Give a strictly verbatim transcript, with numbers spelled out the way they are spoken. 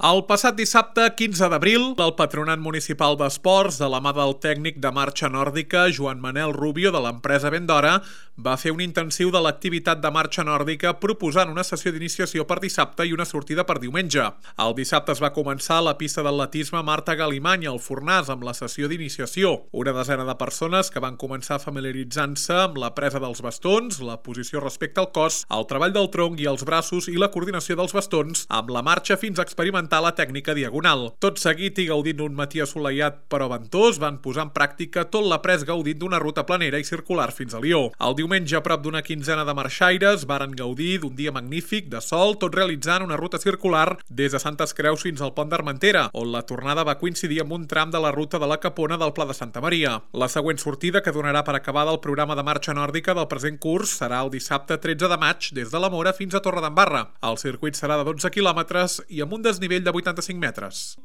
El passat dissabte, quinze d'abril, el Patronat Municipal d'Esports, de la mà del tècnic de marxa nòrdica Joan Manel Rubio de l'empresa Vendora, va fer un intensiu de l'activitat de marxa nòrdica proposant una sessió d'iniciació per dissabte i una sortida per diumenge. El dissabte es va començar a la pista d'atletisme Marta Galimany al Fornàs amb la sessió d'iniciació. Una desena de persones que van començar familiaritzant-se amb la presa dels bastons, la posició respecte al cos, el treball del tronc i els braços i la coordinació dels bastons amb la marxa fins a experimentar la tècnica diagonal. Tot seguit i gaudint d'un matí assolellat però ventós, van posar en pràctica tot l'après gaudint d'una ruta planera i circular fins a Lió. El diumenge, a prop d'una quinzena de marxaires, varen gaudir d'un dia magnífic de sol, tot realitzant una ruta circular des de Santes Creus fins al Pont d'Armentera, on la tornada va coincidir amb un tram de la ruta de la Capona del Pla de Santa Maria. La següent sortida, que donarà per acabada el programa de marxa nòrdica del present curs, serà el dissabte tretze de maig des de la Mora fins a Torredembarra. El circuit serà de dotze quilòmetres i amb un desnivell de vuitanta-cinc metres.